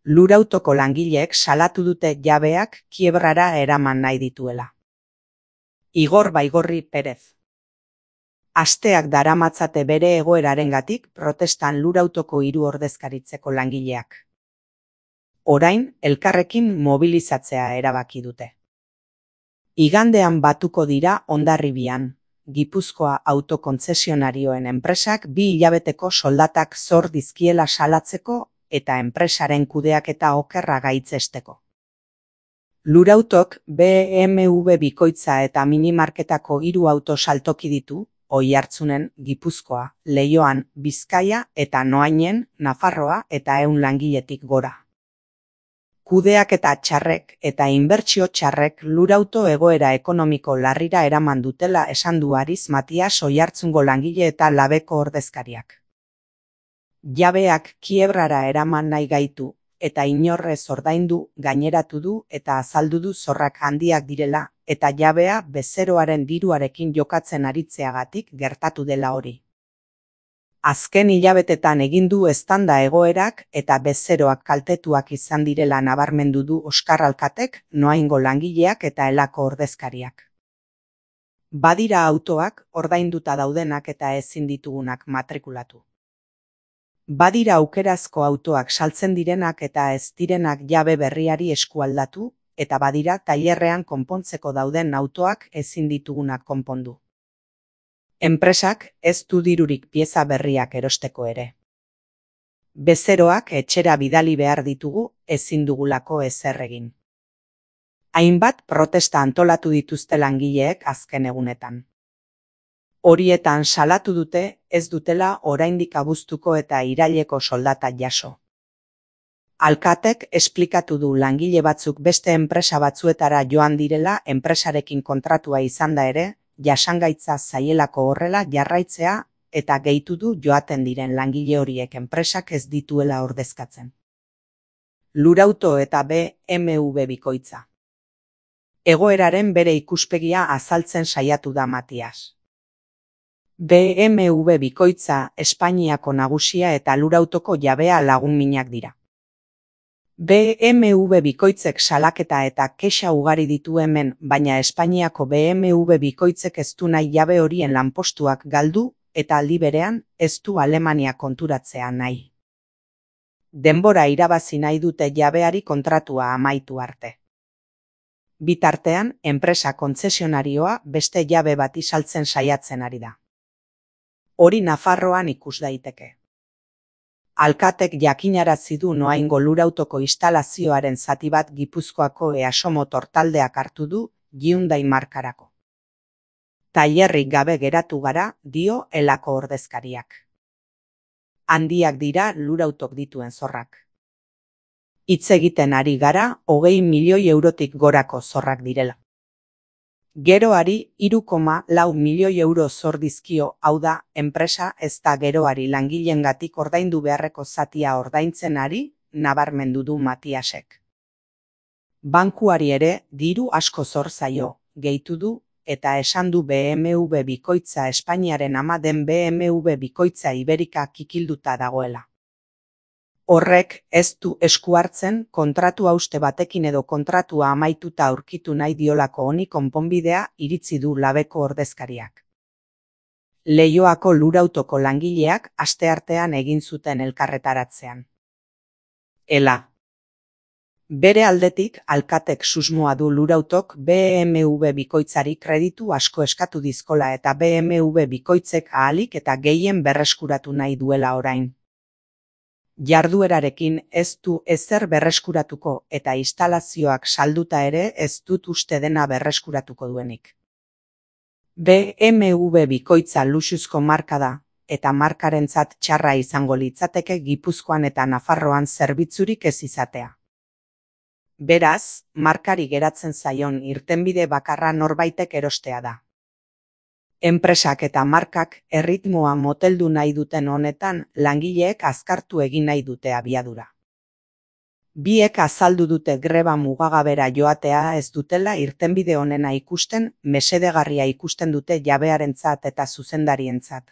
Lurautoko langileek salatu dute jabeak kiebrara eraman nahi dituela. Igor Baigorri Perez. Asteak daramatzate bere egoerarengatik protestan lurautoko 3 ordezkaritzeko langileak. Orain, elkarrekin mobilizatzea erabaki dute. Igandean batuko dira Hondarribian. Gipuzkoa autokontzesionarioen enpresak 2 hilabeteko soldatak zor dizkiela salatzeko eta enpresaren kudeaketa okerra gaitzesteko. Lurautok BMW bikoitza eta minimarketako 3 auto saltoki ditu, Oiartzunen, Gipuzkoa, Leioan, Bizkaia eta Noainen, Nafarroa eta 100 langiletik gora. Kudeaketa txarrek eta inbertsio txarrek lurauto egoera ekonomiko larrira eraman dutela esan du Ariz Matias Oiartzungo langile eta labeko ordezkariak. Jabeak kiebrara eraman nahi gaitu eta inorrez ordaindu gaineratu du eta azaldu du zorrak handiak direla eta jabea bezeroaren diruarekin jokatzen aritzeagatik gertatu dela hori. Azken hilabetetan egin du eztanda egoerak eta bezeroak kaltetuak izan direla nabarmendu du Oskar Alkatek, Noaingo langileak eta Elako ordezkariak. Badira autoak ordainduta daudenak eta ezin ditugunak matrikulatu. Badira aukerazko autoak saltzen direnak eta ez direnak jabe berriari eskualdatu, eta badira tailerrean konpontzeko dauden autoak ezin ditugunak konpondu. Enpresak ez du dirurik pieza berriak erosteko ere. Bezeroak etxera bidali behar ditugu, ezin dugulako ezer egin. Hainbat protesta antolatu dituzte langileek azken egunetan. Horietan salatu dute ez dutela oraindik abuztuko eta iraileko soldata jaso. Alkatek esplikatu du langile batzuk beste enpresa batzuetara joan direla enpresarekin kontratua izanda ere, jasangaitza zaielako horrela jarraitzea eta gehitu du joaten diren langile horiek enpresak ez dituela ordezkatzen. Lurauto eta BMW bikoitza. Egoeraren bere ikuspegia azaltzen saiatu da Matias. BMW bikoitza Espainiako nagusia eta lurautoko jabea lagunminak dira. BMW bikoitzek salaketa eta kexa ugari ditu hemen, baina Espainiako BMW bikoitzek ez du nahi jabe horien lanpostuak galdu eta aldi berean ez du Alemania konturatzea nahi. Denbora irabazi nahi dute jabeari kontratua amaitu arte. Bitartean, enpresa kontzesionarioa beste jabe bati saltzen saiatzen ari da. Hori Nafarroan ikus daiteke. Alkatek jakinarazi du Noaingo lurautoko instalazioaren zati bat Gipuzkoako EASO Motor taldeak hartu du Hyundai markarako. Tailerrik gabe geratu gara, dio Elako ordezkariak. Handiak dira lurautok dituen zorrak. Hitz egiten ari gara 20 milioi eurotik gorako zorrak direla. Geroari 3,4 milioi euro zor dizkio, hau da, enpresa ez da geroari langileengatik ordaindu beharreko zatia ordaintzen ari, nabarmendu du Matiasek. Bankuari ere diru asko zor zaio, gehitu du, eta esan du BMW bikoitza Espainiaren ama den BMW bikoitza Iberika kikilduta dagoela. Horrek ez du esku hartzen kontratu hauste batekin edo kontratua amaituta aurkitu nahi diolako honi konponbidea iritzi du labeko ordezkariak. Leioako lurautoko langileak asteartean egin zuten elkarretaratzean. Ela. Bere aldetik, Alkatek susmoa du lurautok BMW bikoitzari kreditu asko eskatu dizkola eta BMW bikoitzek ahalik eta gehien berreskuratu nahi duela orain. Jarduerarekin ez du ezer berreskuratuko eta instalazioak salduta ere ez dut uste dena berreskuratuko duenik. BMW bikoitza luxuzko marka da, eta markarentzat txarra izango litzateke Gipuzkoan eta Nafarroan zerbitzurik ez izatea. Beraz, markari geratzen zaion irtenbide bakarra norbaitek erostea da. Enpresak eta markak erritmoa moteldu nahi duten honetan langileek azkartu egin nahi dute abiadura. Biek azaldu dute greba mugagabera joatea ez dutela irtenbide honena ikusten, mesedegarria ikusten dute jabearentzat eta zuzendarientzat.